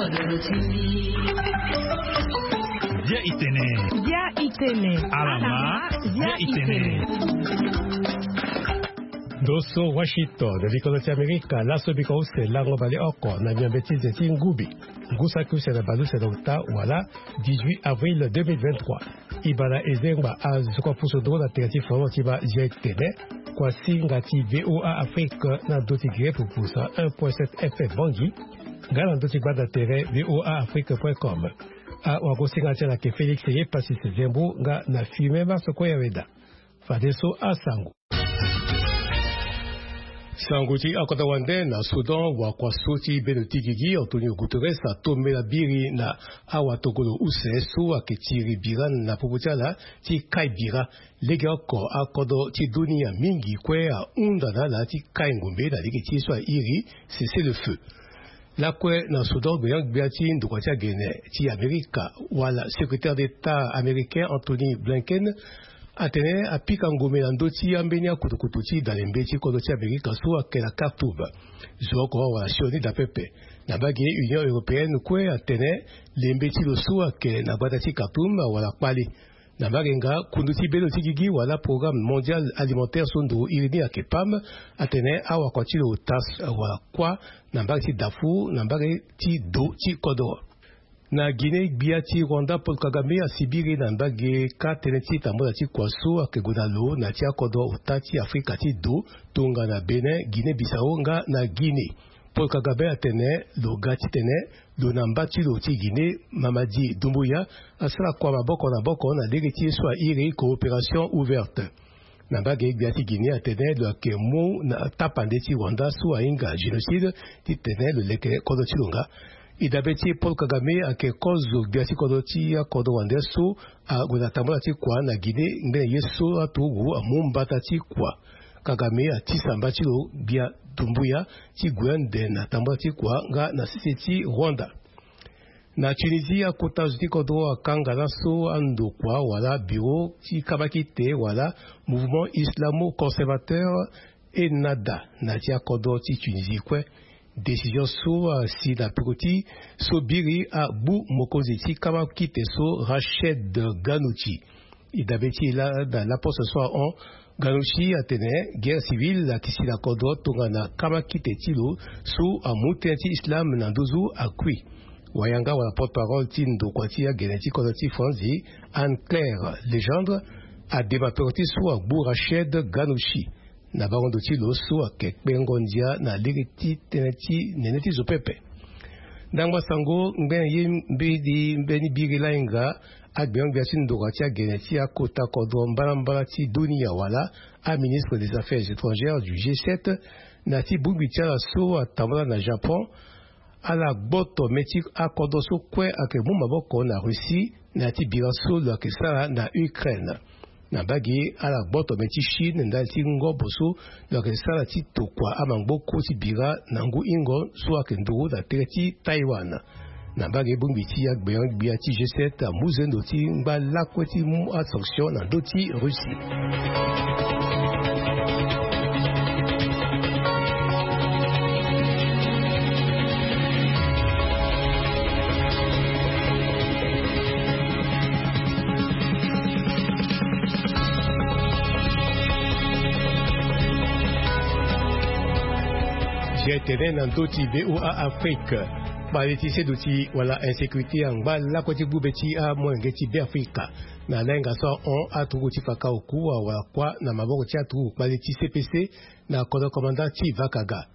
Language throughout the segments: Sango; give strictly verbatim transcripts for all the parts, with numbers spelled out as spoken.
Bia itene. Bia itene. Alama. Bia itene. Ndo so Washington, likolo ti Amerika, laso biko use lango baleoko na miombe ti ze ti ngubi. Ngu saki use na baleuse na ota wala dix-huit avril deux mille vingt-trois. Ibala ezengba azuka pusu nduru na tere ti foro ti ba zia etene. Kuasinga ti VOA Afrique na ndö ti gere pupusa un point sept F M Bangui. Nga na ndö ti gbanda tere VOA Afrique point com. Awagosinga ti ala ke Félix ye Pasis Zembu nga na filme Marso Koyaweda. Fadeso asango. Sango ti akota wande na Soudan, wakua so ti bendo ti gigi Antonio Guterres atombela biri na awatokolo use so ayeke tiri bira na popo ti ala ti kai bira. Legeoko akodro ti dunia mingi kue ahunda na ala ti kai ngombe na lege ti ye so airi cessez-le-feu. Lakue na Soudan, gbenyogbia ti ndokua ti agene ti Amerika wala secrétaire d'État américain Anthony Blinken atene apika ngombe na ndö ti ambeni akutukutu ti dalembe ti kodro ti Amerika so ayeke na Khartoum. Zo oko awara sioni daa pepe. Na mbage Union européenne kue atene lembe ti lo so ayeke na gbata ti Khartoum awara kpale. Na mbage nga kundu ti bendo ti gigi wala Programme Mondial Alimentaire so nduru iri ni ayeke PAM atene awakua ti lo ota wala kuâ na mbage ti Darfour na mbage ti do ti kodro. Na Guinée, gbia ti Rwanda Paul Kagame asibiri na mbage kâ tënë ti tambula ti kua so ayeke gue na lo na ya ti akodro ota ti Afrika ti do tongana Bénin, Guinée Bissau nga na Guinée. Paul Kagame atene lo ga titene lo na mba ti lo ti Guinée, Mamadi Doumbouya, asara kua maboko na maboko na lege ti ye so airi coopération ouverte. Na mbage gbia ti Guinée atene lo yeke mu na tapande ti Rwanda so ahinga génocide titene lo leke kodro ti lo nga. E dabe ti e, Paul Kagame ayeke kozo gbia ti kodro ti akodro wande so ague na tambula ti kua na Guinée ngbene ye so aturugu amu mbata ti kua. Kagame atisa mba ti lo gbia Doumbouya ti gue ande na tambula ti kua nga na sese ti Rwanda. Na Tunisie, akota zo ti kodro akanga laso andokua wala bureau ti kamakite wala Mouvement Islamo-Conservateur, Ennahda, na ya ti akodro ti Tunisie kue. Décision so asi na peko ti so biri agbu mokonzi ti kamakite so, Rached Ghannouchi. E dabe ti e laa na laposte so ahon, Ghannouchi atene guerre civile ayeke si na kodro tongana kamakite ti lo so amu tënë ti islam na nduzu akui. Wayanga wala porte-parole ti ndokua ti agene ti kodro ti Franzi, Anne-Claire Legendre, adema peko ti so agbu Rached Ghannouchi na bango ndo ti lo so ayeke kpengo ndia na lege ti tënë ti nene ti zo pepe. Ndangba sango, ngbene ye mbeni mbeni biri lainga agbengo-gbia ti ndokua ti agene ti akota kodro mbalambala ti dunia wala aministre des affaires étrangères du G sept na ya ti bongbi ti ala so atambula na Japon. Ala gboto me ti akodro so kue ayeke mu maboko na Russie na ya ti bira so lo yeke sara na Ukraine. Na mbage ala gboto me ti Chine ndali ti ngobo so lo yeke sara ti tokua amangboko ti bira na ngu hingo so ayeke nduru na tere ti Taïwan. Na mbage bongbi ti agbengo-gbia ti G sept amu zendo ti ngba lakue ti mu asanction na ndö ti Russie. Zia tene na ndö ti VOA Afrique, kpale ti seduti wala insécurité angba lakue ti gbu be ti amolenge ti Beafrika. Na lainga so ahon, aturugu ti faka oku awara kuâ na maboko ti aturugu kpale ti C P C na kodro komanda ti Vakaga.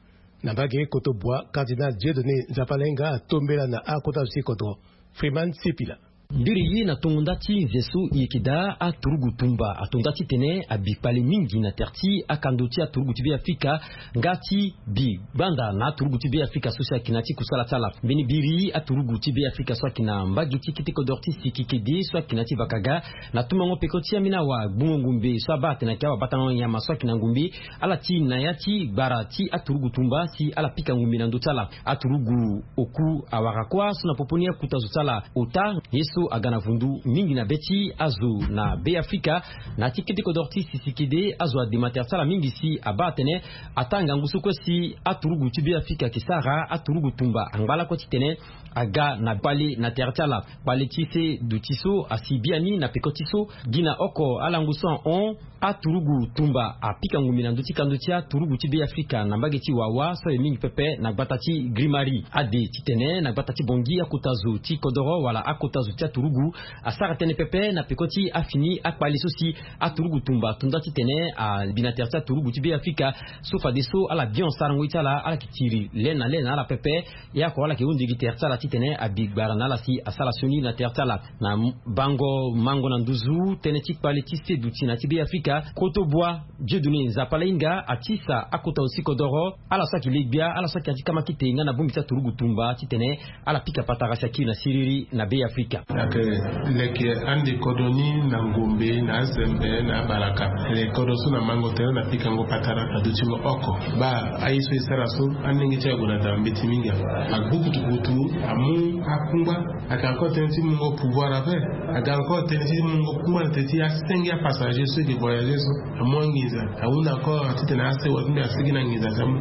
Na mbage Kotobua, Cardinal Dieudonné Nzapalainga atombela na akota zo ti kodro. Freeman Sepila. Mbiri ye na tongo nda ti nze so e yeke daa aturugu tumba ato nda titene abi kpale mingi na tere ti akando ti aturugu ti Beafrika nga ti bi gbanda na aturugu ti Beafrika so si ayeke na ya ti kusala ti ala. Mbeni biri aturugu ti Beafrika so ayeke na mbage ti kete kodro ti Sikikedi so ayeke na ya ti Vakaga na tumango peko ti ambeni awagbungo ngumbe so abaa atene ayeke awabatango nyama so ayeke na ngumbe, ala ti na ya ti gbara ti aturugu tumba si ala pika ngumbe na ndö ti ala. Aturugu oku awara kuâ so na popo ni akuta zo ti ala ota ye so Aga na vundu mingi na be ti azo na Be Afrika. Na ti kete kodoro ti sisikede azo adema tere ti ala mingi si abaa atene ataa ngangu so kue si aturugu ti Be Afrika ayeke sara aturugu tumba angba lakue titene aga na kpale na tere ti ala. Kpale ti se duti so asi biani na peko ti so gi na oko alangu so ahon aturugu tumba apika ngumbi na ndö ti kando ti aturugu ti Be Afrika na mbage ti Wawa so aye mingi pepe na gbata ti Grimari. Ade titene na gbata ti Bongi akota zo ti kodoro wala akota zo ti aturugu asara tënë pepe na peko ti afini akpale so si aturugu tumba atonda titene abi na tere ti aturugu ti Be Afrika. So fadeso ala bion sarango ye ti ala ala yeke tiri le na le na ala pepe. Ye oko ala yeke hunda gi tere ti ala titene abi gbara na ala si asara sioni na tere ti ala. Na bango mango na nduzu tënë ti kpale ti se duti na ti Be Afrika, Koto Bua Dieudonné Nzapa Lainga atisa akota zo ti kodoro ala so ayeke le gbia ala so ayeke ya ti kamakite nga na bongbi ti aturugu tumba titene ala pika patara si akiri na siriri na Be Afrika. Ayeke leke ande kodro ni na ngombe na azembe na abalaka. Leke kodro so na mango tene na pikango patara na dutingo oko. Baa aye so e sara so alenge ti ague na dara mbeti mingi ape. Agbu kutukutu amu akungba. Ayeke encore tënë ti mungo pouvoir ape. Ayeke encore tënë ti mungo kungba na tënë ti asenge apassager so e ke voyager so. Amu anginza ahunda encore titene asewa ti mbi asigi na nginza ti amu.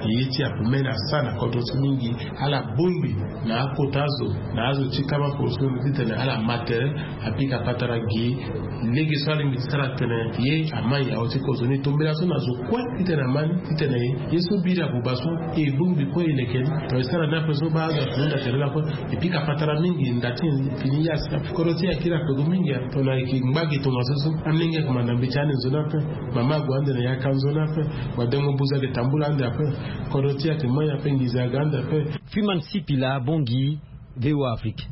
Ye ti ape me na sara na kodro ti mingi. Ala bongbi na akota azo na azo ti kama poroso titene ala ma tere. Apika patara gi lege so alingbi ti sara tene ye ama yao ti kozoni tombela so na zo kue titene ama ni titene ye so biri abuba so e bongbi kue e leke ni. Tongana e sara ni ape so baa azo ake hunda tere lakue. E pika patara mingi nda ti fini ye asi kodro ti e akiri akpego mingi. Tongana e ke ngba gi tongaso so alenge akumanda mbi ti ande nzoni ape. Mama ague ande na yaka nzoni ape. Wadengo buza ayeke tambula ande ape. Kodro ti e ayeke mai ape nginza aga ande ape. Freeman Sipila Bongi, V O A Afrique.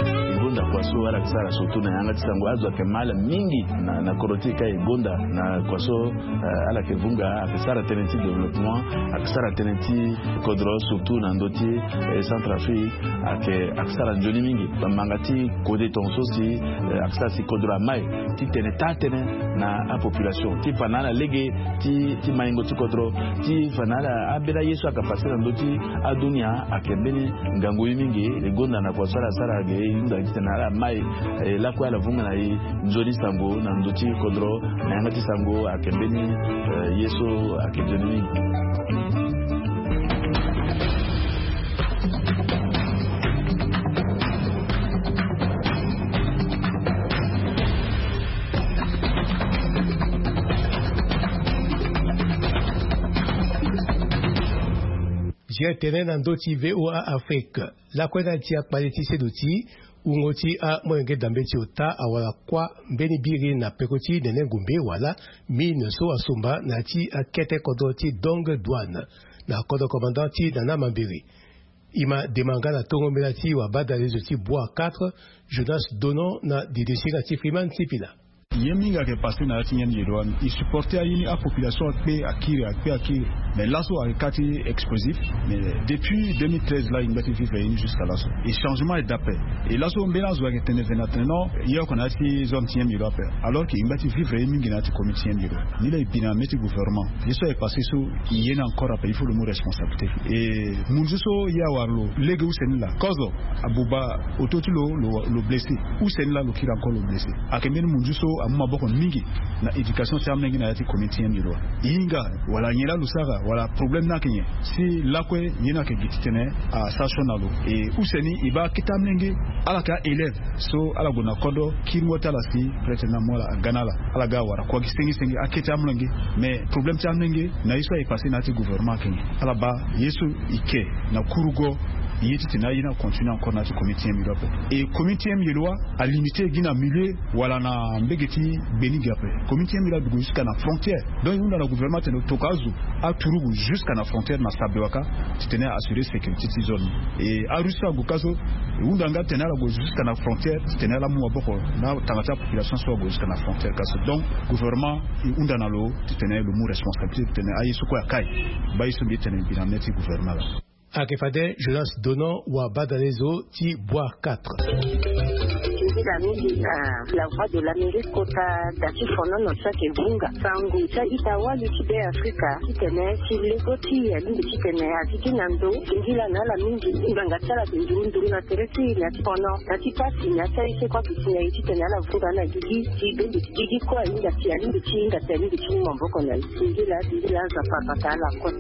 E gonda kua so ala yeke sara surtout na yanga ti sango azo ayeke ma ala mingi na, na kodro ti e ka e gonda na kua so, eh, ala yeke vunga ayeke sara tënë ti développement ayeke sara tënë ti kodro surtout na ndö ti, eh, Centrafrique ayeke, ayeke sara nzoni mingi. Bamanga ti kode tongaso si, eh, ayeke sara si kodro amai titene taa tënë na apopulation ti fa na ala lege ti, ti maingo ti kodro ti fa na ala ambeni aye so ayeke pase na ndö ti adunia ayeke mbeni ngangu ye mingi. E gonda na kua so ala sara ge e hunda titene ala mai, eh, lakue ala vunga na e nzoni sango na ndö ti kodro na yanga ti sango ayeke mbeni, eh, ye so ayeke nzoni mingi. Géré tene na ndö ti V O A Afrique. Lakue na ya ti akpale ti seduti wungo ti amolenge dambe ti ota awara kuâ mbeni biri na peko ti nene ngumbe wala mine so asomba na ya ti akete kodro ti Dong Douane na kodro commandant ti Nana Mambiri. E ma dema nga na tongo mbela ti wabadalezo ti Bois quatre, Jonas Donon na didisinga ti Freeman Sipila. Ye mingi ayeke passé na ya ti nyen yelo wani. E supporté aye ni apopulation akpe akiri akpe akiri. Mais laso ayeke ka ti explosif. Mais depuis deux mille treize la e ngba ti vivre ye ni jusqu'à laso. E changement ayeke daa ape. E laso mbeni azo ayeke tene ve na tene non ye oko na ya ti zone ti nyen yelo ape. Alors que e ngba ti vivre ye mingi na ya ti commune ti nyen yelo. Ni la e bi na mê ti gouvernement. Ye so ayeke passé so e ye ni encore ape, il faut lo mu responsabilité. E munzu so ye awara lo lege use ni la kozo abuba auto ti lo, lo, lo blessé. Use ni la lo kiri encore lo blessé. Ayeke mbeni munzu so amu maboko mingi na éducation ti amolenge na ya ti commune ti nyen yelo. E hinga wala nyen la lo sara wala problème ni ayeke nyen? Si lakue ye ni ayeke gi titene asara sioni na lo. E use ni e baa akete amolenge ala yeke a-élève so ala gue na kodro kiringo ti ala si prêtre ni amu ala aga na ala. Ala ga awara kua gi senge senge akete amolenge. Mais problème ti amolenge na ye so aye passé na ya ti gouvernement ayeke nyen? Ala baa ye so e ke na kurugo ye titene aye ni acontinué encore na ya ti commune ti nyen yelo ape. E commune ti nyen yelo alimité gi na milieu wala na mbege ti gbe ni gi ape. Commune ti nyen yelo adugu jusqu'à na frontière. Donc e hunda na gouvernement atene lo toka azo aturugu jusqu'à na frontière na sabe waka titene a assurer sécurité ti zone ni. E arusse so ague ka so e hunda nga titene ala gue jusqu'à na frontière titene ala mu maboko na tanga ti apopulation so ague jusqu'à na frontière ka so. Donc gouvernement e hunda na lo titene lo mu responsabilité titene aye so kue akai baa ye so mbi tene mbi na mê ti gouvernement la. Ayeke fade Jonas Donon wabadalezo ti Bois quatre. Mingi na la voix de l'Amérique kota da ti fonono ti ayeke vunga sango ti a-ita wali ti Be Afrika titene ti lego ti e alingbi titene a zi ti na ndo singila na ala mingi. Ngbanga ti ala ayeke nduru nduru na tere ti e na ti fono na ti pasi na ya ti aye so kue ayeke si na e titene ala vunga na gigi ti bembe ti gigi kue ahinga si alingbi ti hinga si alingbi ti mu maboko na e. Singila singila Nzapa abata ala kue.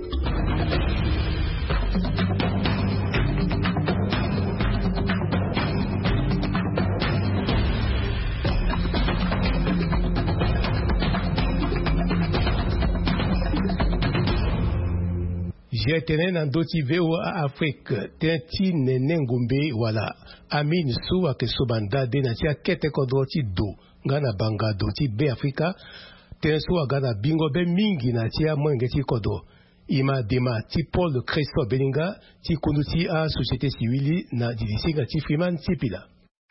Zia tene na ndö ti V O A Afrique, tënë ti nene ngombe wala amine so ayeke soba ndade na ti akete kodro ti do nga na banga do ti Be Afrika. Tënë so aga na bingo be mingi na ti amolenge ti kodro. E ma dema ti Paul Christophe Beninga ti kundu ti asociété civile na didi singa ti Freeman Sipila.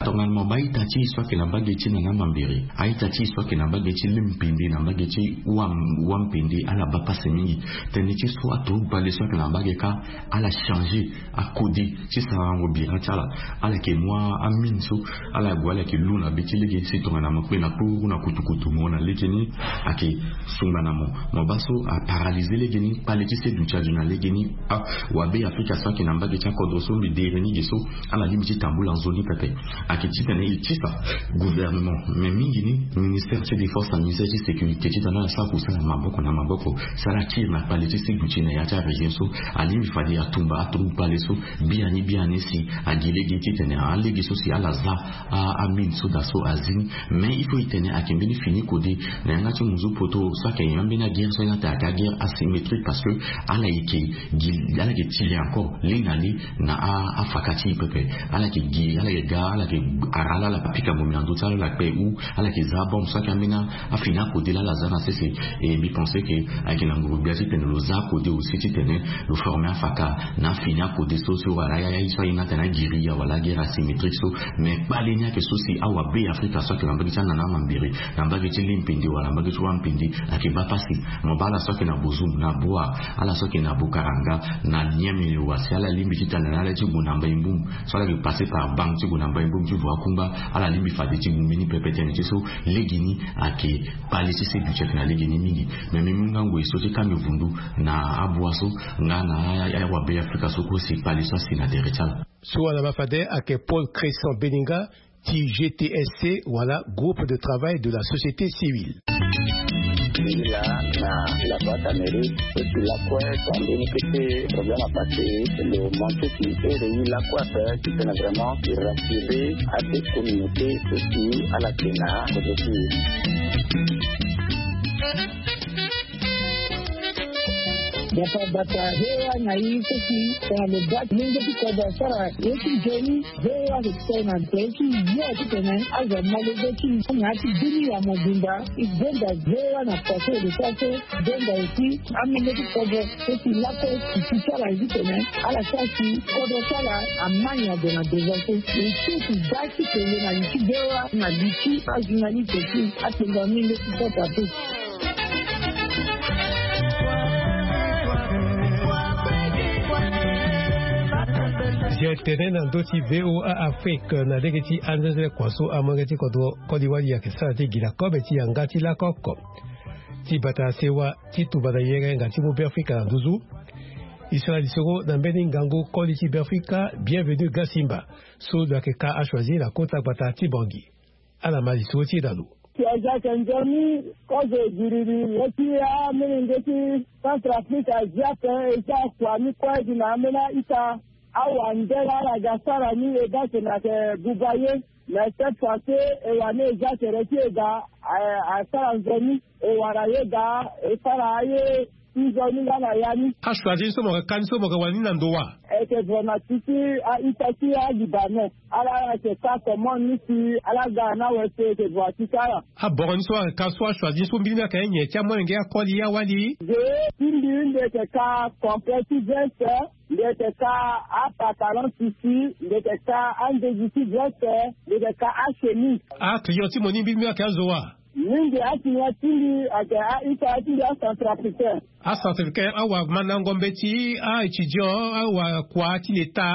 Tongana mo baa ita ti e so ayeke na mbage ti na na mambere, a-ita ti e so ayeke na mbage ti lin pende na mbage ti wa wa mpende ala baa pasi mingi. Tënë ti so ato bale so ayeke na mbage kâ ala changé akode ti sarango bira ti ala. Ala yeke mu amine so ala gue ala yeke lu na be ti lege si tongana mo kpe na kpuru na kutukutu mo na lege ni ayeke sungba na mo. Mo baa so aparalysé lege ni kpale ti se duti azo na lege ni. Awabe afrika so ayeke na mbage ti akodro so mbi dere ni ge so ala lingbi ti tambula nzoni pepe. Ayeke titene e tisa gouvernement, mais mingi ni ministère ti défense na ministère ti sécurité titene ala sara kusala maboko na maboko si ala tire na kpale ti se duti na ya ti arégion so. Alingbi fade atumba atroupe kpale so biani biani si agi lege titene alege so si ala za amine so daa so azi ni. Mais il faut e tene ayeke mbeni fini kode na yanga ti muzu poto so ayeke yanga mbeni aguerre so ayeke aguerre asymétrique parce que ala yeke gi ala yeke tire encore li na li na afaka ti e pepe. Ala yeke gi ala yeke ga ala yeke ara lala apika ngbongbia na ndö ti ala ala kpe ou ala yeke za abombe so ayeke ambeni afini akode lala aza na sese. E mbi pense ke ayeke na nguru-gbia titene lo za akode aussi titene lo forme afaka na afini akode so so wala aye so ahinga atene aguerilla wala aguerre asymétrique so. Mais kpale ni ayeke so si awabe afrika so ayeke na mbage ti anana mambere na mbage ti limpende wala mbage ti wampende ayeke baa pasi. Mo baa ala so ayeke na bozum na boa ala so ayeke na bokaranga na niamini wa si ala lingbi ti tene na ala ti gue na mbai mbum so ala yeke passe par bank ti gue na mbai mbum ti voie kungba. Ala lingbi fade ti gue mbeni pepe tene ti so lege ni ayeke kpale ti se duti ayeke na lege ni mingi. Mais mbi mu nga ngoi so ti kando vundu na abua so nga na awabe afrika so kue si kpale so asi na tere ti ala. So wala ma fade ayeke Paul Cresson Beninga ti G T S C wala groupe de travail de la société civile. Là na la boîte à mérite et puis la quoi ça donne que c'est problème à passer le manque qui est réuni la quoi faire qui fait vraiment rassurer à cette communauté aussi à la Kena. Dafa bata hewa na i seki tongana lo baa ti lenge ti kodro asara ye ti nzoni. Hewa lo tene na nze ti yo ti tene azo malege ti na ya ti bini ya mobimba. I gbenda hewa na pase lo sa so gbenda eti amenge ti kodro so si lakue ti ti ti ala ye ti tene ala sa si kodro ti ala amani ade na devant so. Lo so si da ti tene na li ti hewa na li ti ajournaliste ti atene amenge ti kota so. Zia tene na ndö ti V O A Afrique na lege ti anzenze kua so amolenge ti kodro koli wali ayeke sara ti gi na kobe ti yanga ti lako oko. Ti bata sewa ti tuba na yenga yenga ti mu Beafrika na nduzu. E sara lisoro na mbeni ngangu koli ti Beafrika Bienvenu Gasimba so lo yeke ka achoisir na kota gbata ti Bangui. Ala ma lisoro ti e na lo. Si aza ayeke nzoni kozo giriri le ti amolenge ti Centrafrique azi ape e za kua ni kue gi na ambeni a-ita. Awandela ala ga sara ni e ga tene ayeke buba ye. Mais cette fois ci e wani e za tere ti e ga asara nzoni e wara ye ga e sara aye. Ti nzoni nga na ya ni. Achoisir ni so mo yeke ka ni so mo yeke wani na ndo wa? E yeke vraiment ti ti a-ita ti a-Libanais. Ala ala yeke ka comment ni si ala ga na wese e yeke vraiment ti ka ala. Aboro ni so ayeke ka so achoisir ni so mbiri ni ayeke nyen ti amolenge akoli awali? Ge ti mbiri ni mbi yeke ka complet ti veste. Mbi yeke ka apantalon tissu, mbi yeke ka andegi ti veste, mbi yeke ka achemise. Aclient ti mo ni mbirimbiri ayeke azo wa? Mingi aclient ti mbi ayeke a-ita ti mbi acentrafricain. Acentrafricain awamandango mbeti, a-étudiant, awakua ti leta,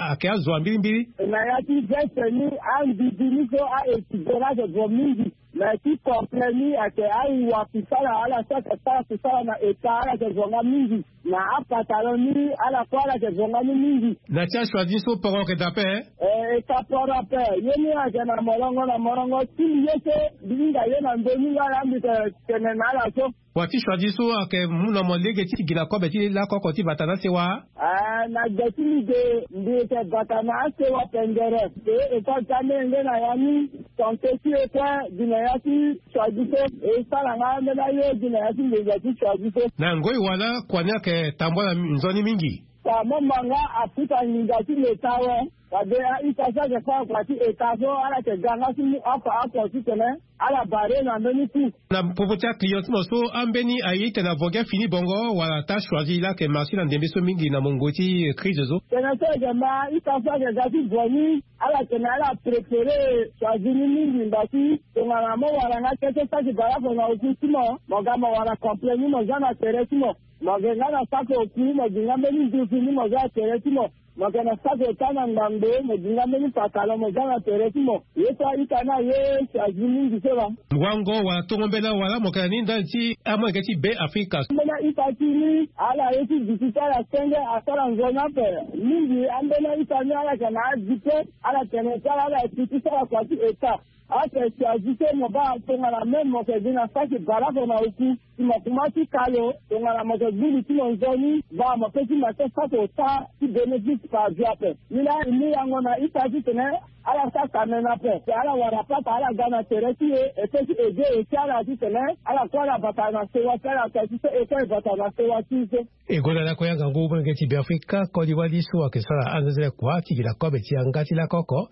ayeke azo wa mbirimbiri. Na ya ti veste ni, andidi ni so a-étudiant ni ayeke vo mingi. Na ya ti complet ni ayeke awa kusala, ala so ayeke sara kusala na eta, ala yeke vo nga mingi. Na apantalon ni, ala kue ala yeke vo nga ni mingi. Na ti achoisi ni so poro ayeke daa ape? Eh, e ka poro ape. Ye ni ayeke na morongo na morongo ti mbi ye so mbi hinga ye na ndö ni nga laa mbi yeke tene na ala so. Wa ti choisi so ayeke mu na mo lege ti gi na kobe ti lakoko ti bata na asewa? Ah, na gbe ti mbi ge, mbi yeke bata na asewa pengere. E, e ka ga mbeni nge na ya ni, tongaso ti e kue gi na ya ti choisi so, e sara nga mbeni aye gi na ya ti nginza ti choisi so. Na ngoi wala kua ni ayeke tambula nzoni mingi? Ka mo ma nga afuta nginza ti leta awe. Fade a-ita so ayeke fâ kua ti eta so, ala yeke ga nga ti mu afa oko titene ala barre na mbeni ku. Na popo ti aclient ti mo so, ambeni aye titene avo gi afini bongo wala ata choisi laa ayeke marché na ndembe so mingi na mungo ti crise so? Tene so e yeke ma a-ita so ayeke ga ti vo ni, ala tene ala préféré choisi ni mingi ngba ti tongana mo wara nga kete saki bale oko na oku ti mo, mo ga mo wara complet ni mo zia na tere ti mo. Mo yeke nga na saki oku, mo gi nga mbeni nduzu ni mo zia na tere ti mo. Mo yeke na saki ota na ngbangbo, mo gi nga mbeni pantalon mo zia na tere ti mo. Ye so a-ita ni aye choisi mingi so laa. Wango wala tongo mbela wala mo yeke na ni ndali ti amolenge ti Be Afrika? Ambeni a-ita ti ni, ala ye ti gi ti ti ala senge asara nzoni ape. Mingi ambeni a-ita ni ala yeke na adipe, ala tene ti ala ala yeke ti sara kua ti eta. Ake choisi so mo baa tongana même mo yeke gi na saki bale oko na oku, si mo kuma ti ka lo, tongana mo yeke gbu li ti mo nzoni, baa mo pe ti ma ti saki ota ti bénéfice par vie ape. Ni laa e mu yango na ita titene ala sara kamene ape, si ala wara pata ala ga na tere ti e, e pe ti aidé e ti ala titene ala kue ala bata na sewa ti ala, tongaso e kue e bata na sewa ti e so. E gonda lakue angangu molenge ti Beafrika koli wali so ayeke sara anzenzele kua ti gi na kobe ti yanga ti lakoko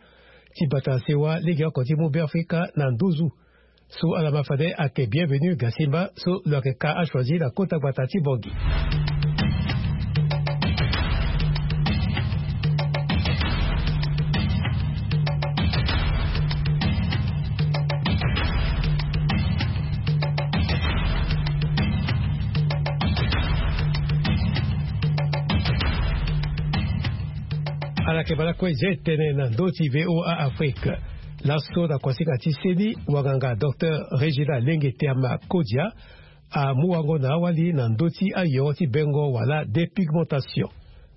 ti bata na sewa legeoko ti mu Beafrika na nduzu. So ala ma fade ayeke Bienvenu Gasimba so lo yeke ka achoisi na kota gbata ti Bangui. Ala yeke bale kue zia e tene na ndö ti V O A Afrique. Laso na kuasinga ti seni, wanganga docteur Regina Lenge Teama Kodia amu wango na awali na ndö ti ayo ti bengo wala dépigmentation.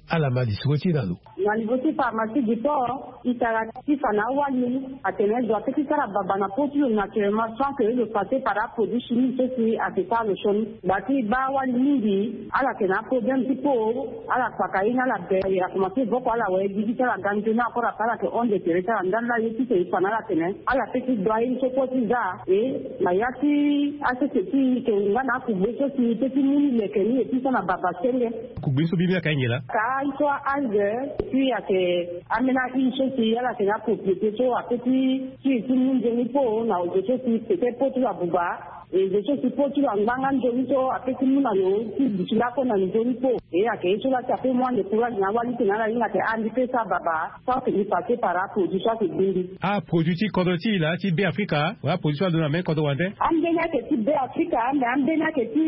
Ala ma lisoro ti e na lo. Na niveau ti pharmacie du port, e tara ti fa na awali atene zo ape ti sara baba na peau ti lo naturellement sans que lo passer par aproduit chimique so si ayeke sara lo sioni. Gba ti baa awali mingi, ala yeke na aproblème ti peau, ala kpaka ye ni ala be, a commencer voko ala wara ye gigi ti ala ga nzoni encore ape ala yeke hon de tere ti ala ndali laa ye ti so e fa na ala atene ala pe ti dua ye ni so kue ti za. E na ya ti asese ti e yeke nga na akugbe so si e pe ti mu ni leke ni e ti so na baba senge. Kugbe ni so mbi mbi ayeke aye nyen laa? Ka aye so a-algue, et puis ayeke ambeni aye so si ala yeke na propriété so ape ti ti e ti mu nzoni peau na ozo so si peut-être peau ti lo abuba. E zo so si peau ti lo angba nga nzoni so ape ti mu na lo ti duti lakue na nzoni peau. E ayeke ye so laa si ape mu ande courage na awali tene ala hinga atene a mbi pe sara baba sans que mbi passer par aproduit so ayeke gbu mbi. Aproduit ti kodro ti e laa ti Be Afrika wala aproduit so alondo na mbeni kodro wande? Ambeni ayeke ti Be Afrika, ame ambeni ayeke ti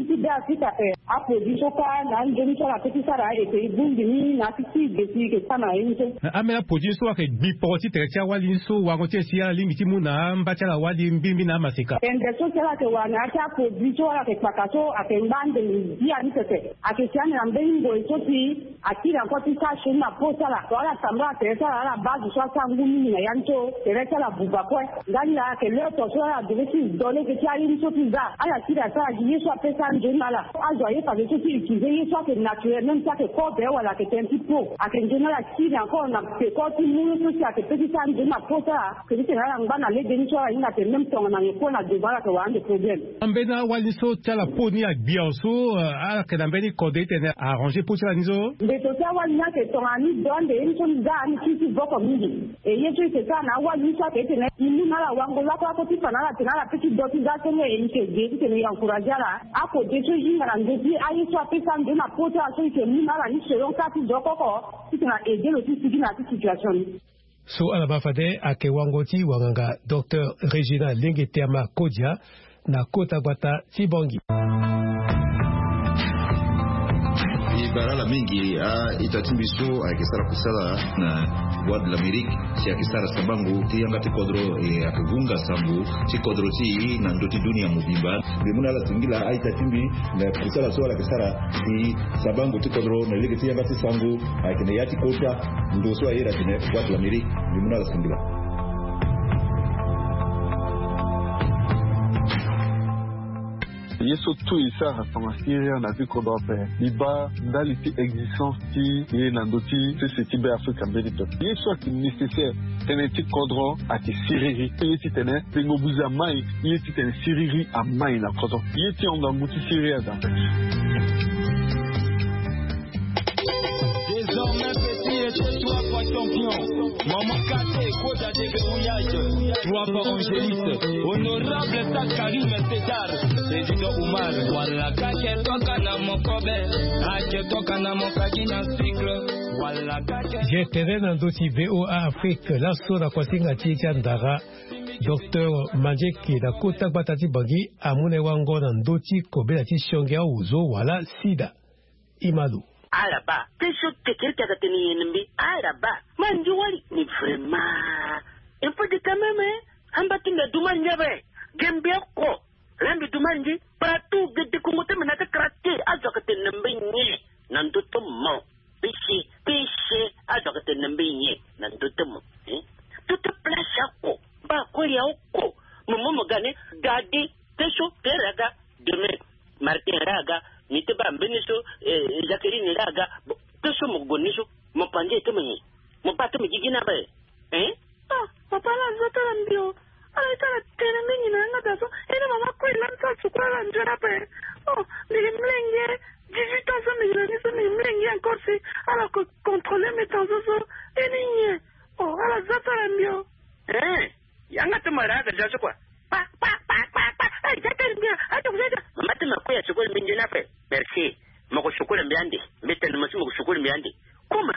ti Be Afrika ape. Aproduit so kâ na anzoni so ala pe ti sara ayeke e bongbi ni na ya ti ti ge si e yeke sara na ye ni so. Na ambeni aproduit so ayeke gbi poro ti tere ti awali ni so wango ti e si ala lingbi ti mu na amba ti ala wali mbirimbiri na amaseka? Tende so si ala yeke wara na ya ti aproduit so ala yeke kpaka so ayeke ngba ande ngbia ni pepe. Ayeke si ande na mbeni ngoi so si akiri encore ti sara sioni na peau ti ala. Tongana ala tambula tere ti ala, ala baa zo so asara ngu mingi na ya ni so, tere ti ala abuba kue. Ndali laa ayeke l'heure to so ala devait ti do lege ti aye ni so ti za. Ala kiri asara gi ye so ape sara nzoni na ala. Azo aye fade so ti utiliser ye so ayeke naturel, même si ayeke kobe wala ayeke tene ti peau. Ayeke nzoni ala kiri encore na peko ti mu ye so si ayeke pe ti sara nzoni na peau ti ala. Ayeke ti tene ala ngba na lege ni so ala hinga atene même tongana nyen kue na devant ala yeke wara ande problème. Ambeni awali so ti ala peau ni agbia so, eh, ala yeke na mbeni kode ti Arranger poti ala ni so. Nde to ti awali ni ayeke tongana ni do ande ye ni so ni ga ni ti ti voko mingi. E ye so e ke sara na awali ni so ayeke ti tene e mu na ala wango lakue lakue ti fa na ala tene ala pe ti do ti ga senge e yeke ge ti tene e encourager ala. Akode so e hinga na ndö ti aye so apesa ndo na poti ala so e ke mu na ala ni selon ka ti do koko ti tene a aider lo ti sigi na ya ti situation ni. So ala baa fade ayeke wango ti wanganga docteur Régina Lenge Teama Kodia na kota gbata ti Bangui. E bara ala mingi a-ita ti mbi so ayeke sara kusala na Voix de l'Amérique si ayeke sara sabango ti yanga ti kodro, e ayeke vunga sango ti kodro ti e na ndö ti dunia mobimba. Mbi mu na ala singila a-ita ti mbi na kusala so ala yeke sara si sabango ti kodro na lege ti yanga ti sango ayeke na ya ti kota ndo so a iri atene Voix de l'Amérique. Mbi mu na ala singila. Ye so tout e sara tongana siriri na ti kodro ape. E baa ndali ti existence ti e na ndö ti sese ti Be Afrika mbeni pepe. Ye so ayeke nécessaire tënë ti kodro ayeke siriri. Ye ti tene tengo buzi amai. Ye ti tene siriri amai na kodro. Ye ti hon ngangu ti siriri aza. Désormais petit, et toi, champion. Maman Kate, Koda de verrouillage. Trois fois Angéliste. Honorable Sakarim César. Président Oumar. Wala kake toka na mokobe. Ake toka na mokaki na cycle. Wala kake. Je tene na ndö ti V O A Afrique, laso na kuasinga ti e ti andara. Docteur Mandieke na kota gbata ti Bangui amu na e wango na ndö ti kobela ti sionge aozo wala sida. Imalo. Ala baa, te so kekereke ayeke tene nyen na mbi? Ala baa, ma ndio wali. Mais vraiment, il faut dire quand même, hein, amba ti mbi adu mal ndia be. Ge mbi oko, la mbi du mal ndi, partout, ge dekongo ti mbi na ti kara te, azo ayeke tene na mbi nyen na ndö ti mo? Péché, péché, azo ayeke tene na mbi nyen na ndö ti mo, hein? Tout place oko, mba koli ya oko, mo mo mo ga ni, ga di, te so, te ra ga, demain, Martin ra ga, ni te baa mbeni so, eh, Jacqueline ra ga, bon, te so mo gue ni so, mo panze ti mo nyen? Mo baa ti mo gigi ni ape, hein? Ah, papa, ala zo ti ala mbi o. Ala ye ti ala tene mingi na yanga daa so. E ni mama kue lani ti ala suku ala nzoni ape. Oh, mbi gi mlenge dix-huit ans so mbi gi na ni so mbi gi mlenge encore si ala ko contrôler mbi tension so. E ni nyen? Oh, ala zo ti ala mbi o. Eh, yanga ti mo ra aga ja so kua. Pa, pa, pa, pa, pa. Eh, ja ti ala mbi o. Ato ko ja ja. Mama ti mo kue asukulu mbi nzoni ape. Merci. Mo ko sukulu mbi ande. Mbi tene mo si mo ko sukulu mbi ande. Kuma.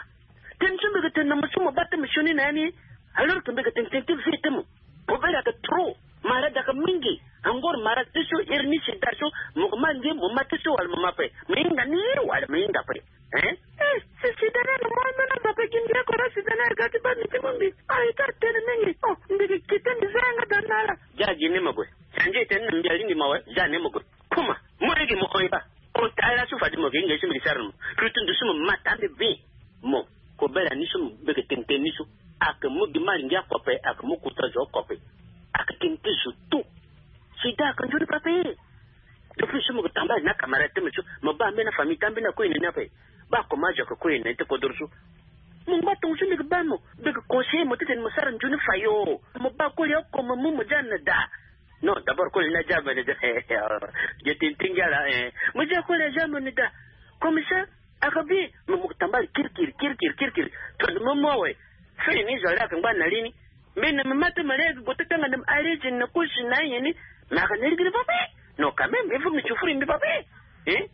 Tene so mbi yeke tene na mo so mo baa ti mo sioni na ya ni. Alors que mbi yeke tene tene ti vie ti mo. Kobela ayeke trop. Malade ayeke mingi. Angor malade ti so iri ni sida so. Mo yeke ma nge mo ma ti so wala mo ma ape. Mo hinga ni wala mo hinga ape. Hein? Eh, si sida ni ayeke mo ambeni azo ape gi mbi oko la sida ni ayeke ga ti baa mbi ti mu mbi. Ah, e ti atene mingi. Oh, mbi yeke kite mbi za yanga daa na ala. Ja gi ni mo gue. Sanzi e tene na mbi alingbi mo awe. Ja ni mo gue. Kuma, mo lege mo hon e baa. Kota ala so fade mo yeke hinga ye so mbi yeke sara na mo. Lutu ndo so mo ma taa mbi bien. Mo, kobela ni so mo beke tene tene ni so. Ayeke mu gi mari ngia kope, ayeke mu kota zo kope. Ayeke tene ti zo tout. Sida ayeke nzoni pape. Depuis so mo yeke tambala na camarade ti mo so, mo baa mbeni afamille ti ambeni akue na ni ape. Baa comment azo ayeke kue na ni ti kodoro so. Mo ngba tongo so mbi yeke baa mo, mbi yeke conseiller mo ti tene mo sara nzoni fayo. Mo baa koli oko mo mu mo za na daa. Non, d'abord koli ni aza mo ni da. Ge tene ti ngia laa, eh. Mo za koli aza mo ni da. Comme ça, aka bi, mo mo tambala kirikiri, kirikiri, kirikiri. Tongana mo mu awe. Fini ni zo laa aka ngba na li ni. Mbi na mbi ma ti mo laa aka gue ti tanga na mbi arrêté na kusi na ayen ni. Mais aka na lingbi ni pape. Non, quand même, il faut mbi souffrir mbi pape. Hein?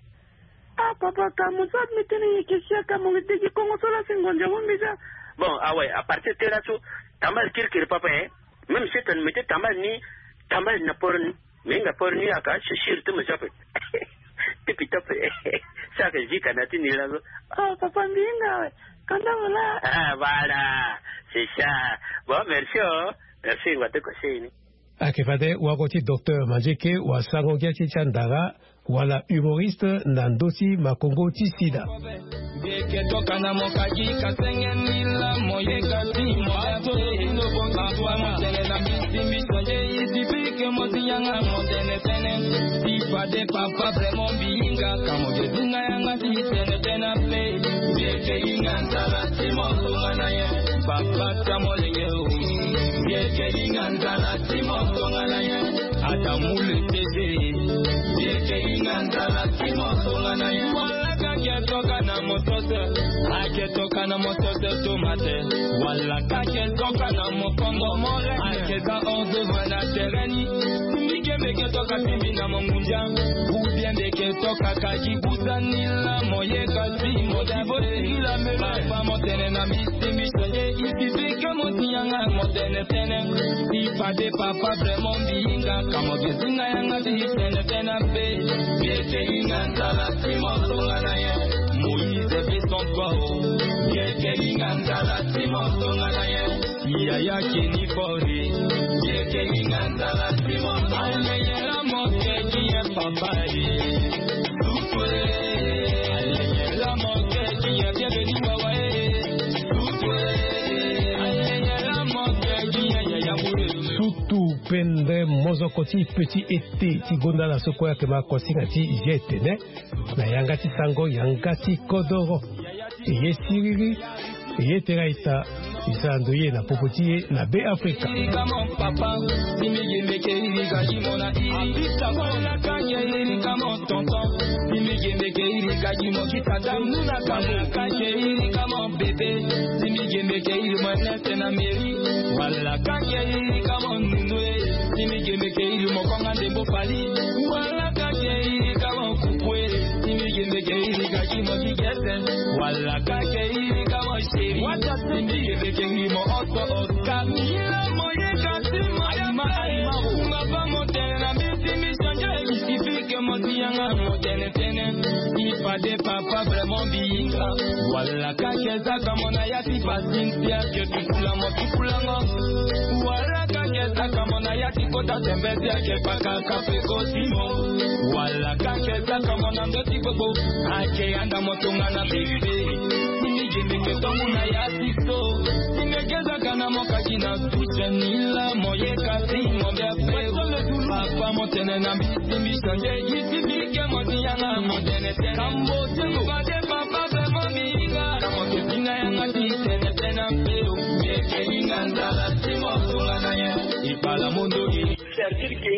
Ah, papa, ka mo so mbi tene ye ke sia ka mo degi kongo so laa si ngonza mo mbi za. Bon, awe, à partir ti laso, tambala kirikiri papa, hein. Même si tene mbi ti tambala ni, tambala na poro ni, mbi hinga poro ni aka, c'est sûr ti mo so ape. Ti pita ape. So aka zi ka na ti ni laso. Ah, papa, mbi hinga awe. Kanda mo laa. Ah, voilà. C'est ça. Bon, merci, oh. Merci, ngba ti conseil ni. Ayeke fade wago ti docteur Mandieke wasango ngia ti ti andara wala humoriste na ndö ti makongo ti sida. Mbi yeke toka na mo kaki ka senge ni laa mo yeka ti mo ate. Papa mo tene na mbi si mbi sonde ye si mbi yeke mo si yanga mo tene tënë. Si fade papa vraiment mbi hinga ka mo ke si nga yanga ti tene tënë ape. Mbi yeke hinga nzala ti mo tongana nyen? Papa ti amolenge o. Mbi yeke hinga nzala ti mo tongana nyen? Ata mu le teze. Mbi yeke hinga nzala ti mo tongana nyen? Wala ka ke Ake toka na mo sese tomate. Wala kake toka na mo kongo more. Ake za onze vre na tereni. Mike meke toka timbi na mo ngunja. Ou bien meke toka kaki busa nila mo ye kasi mo davo sila mele. Papa mo tene na misi misi ye. Isi bike mo tianga mo tene tene. Si fade papa vraiment mbi yinga. Kamo ke singa yanga ti tene tene pe. Bete yinga ntala ti mo tonga na ye. Moïse Besson Pao. Yeke linga ndala ti mo tonga na ye. Yaya Kenny Fori. Yeke linga ndala ti mo tonga na ye. Aleyela mo keki ye papa ye. Tukwe. Aleyela mo keki ye bienvenu wawa ye. Tukwe. Aleyela mo keki ye yaya bule. Sutu pendre mozoko ti petit été ti gonda na soko yake ma kosinga ti ye tene. Na yanga ti sango yanga ti kodoro. Eye siriri. Eye tera ita. Isa ndo ye na popo ti ye na be afrika. Tonton, si mi yembe ke iri kaki mo kita dam nuna kamu kake iri kamo bebe. Si mi yembe ke iri mo nese na meri. Wala kake iri kamo nunu e. Si mi yembe ke iri mo konga ndembo fali. Wala kake iri kamo kuku e. Si mi yembe ke iri kaki mo kikese. Wala kake iri kamo sheri. Wata si mi yembe ke iri mo oso oska. Mila mo ye kasi mo ye ma aima. Kumba pa mo tene na misi misi. Change, il suffit que mo ti yanga mo tene tene. Il fade papa vraiment mbi yinga. Wala kake zaka mo na ya ti pasintia ke tukula mo tukula ngo. Wala kake zaka mo na ya ti kota tembe tia ke paka kafe ko simo. Wala kake zaka mo na ndo ti popo. Ake yanda mo tonga na bebe. Mbi yembe ke tongu na ya ti so. Mbi yembe ke zaka na mo kaki na Nila mo ye kasi mo bia pe. Papa mo tene na mbi ti mbi sande. Yiti mbi ke mo ti yanga mo tene tene. Kambo ti mo bade papa be mo mi yinga. Kamo ke ti na yanga ti tene tene mpe o. Mbi ke yinga ndala ti mo tonga na ye. Ipala mondo i. C'est-à-dire que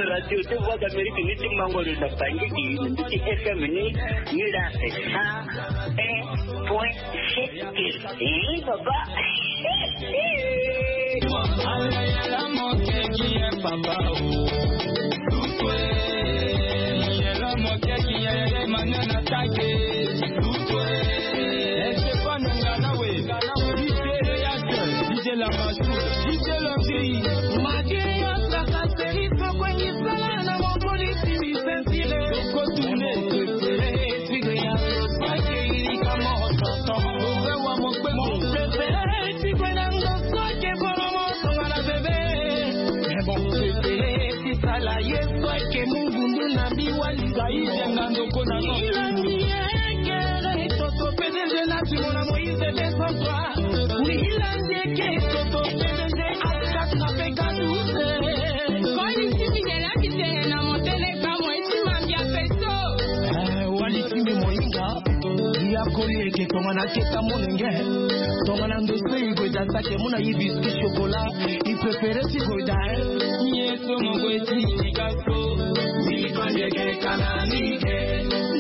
radio de Voix d'Amérique ni ti mango na bangi di ni ti F M ni ni la sa un point sept. Eh, papa. Sala ye soike mungundu na mbi wali. Ilangi ye kere toto P D G na timo na Moïse deux cent trois. Ilangi ye kere toto P D G Alcat na P K douze. Koli simi yela kitene na motele ka mo eti mambia peso. Eh, wali simi moinga. Ya koli eke tongana keta molenge. Tongana ndo se igoida sake muna ibi ski chocolat. I préféré ti goida, eh. Yeso mo gwe ti yika so. Mbi konje ke kana mbi ke.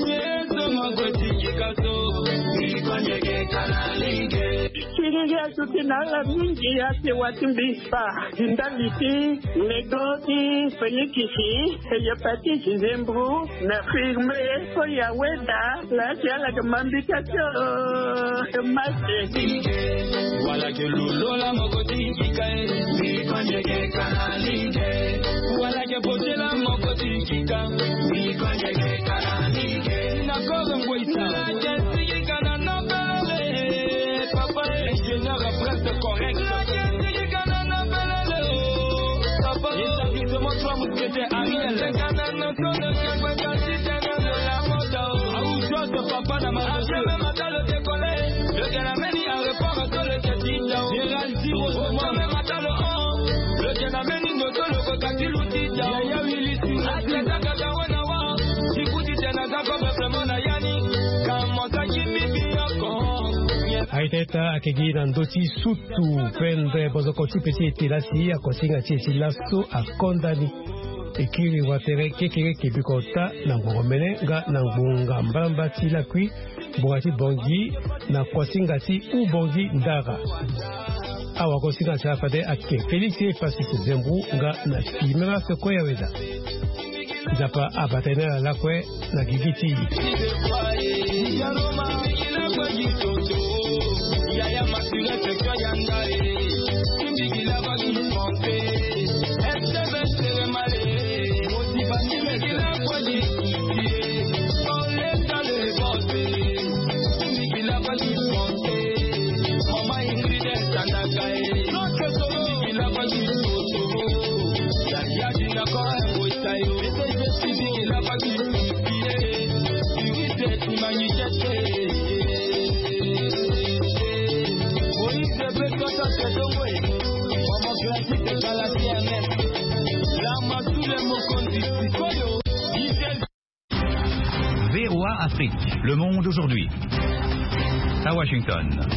Yeso mo gwe ti yika so. Mbi konje ke kana mbi ke. Siriri azuti na ala mingi ate wati mbi spa. Ndali ti mego ti fenikisi. Eye pati zizembru. Na firme. Oya weda. Laa ti ala yeke ma mbi ka ti o. Mase. Wala yeke lolo la moko ti yika e. Mbi konje ke kana mbi ke. Wala yeke bote la moko ti yika. Mbi konje ke kana mbi ke. Na koro ngweisa. Wala yeke sigi kana na belele. Papa ingénieur presque correct. Wala yeke sigi kana na belele o. Papa. Établissement Trois Mousquetaires Ariel. Kana na Aita ita ake gi na ndö ti sutu pendre bozoko ti pe ti ete lasi akosinga ti e ti laso akonda ni. Ekiri watere kekereke biko ota na ngbongo mene nga na ngbonga mbalambala ti lakui. Bonga ti Bongi na kosinga ti Ubongi Ndara. Awagosinga ti afade ake Félix Epasis Zembu nga na Kimera Sekoya Weda. Nzapa abata ye na ala lakue na gigi ti V O A Afrique, le monde aujourd'hui. À Washington.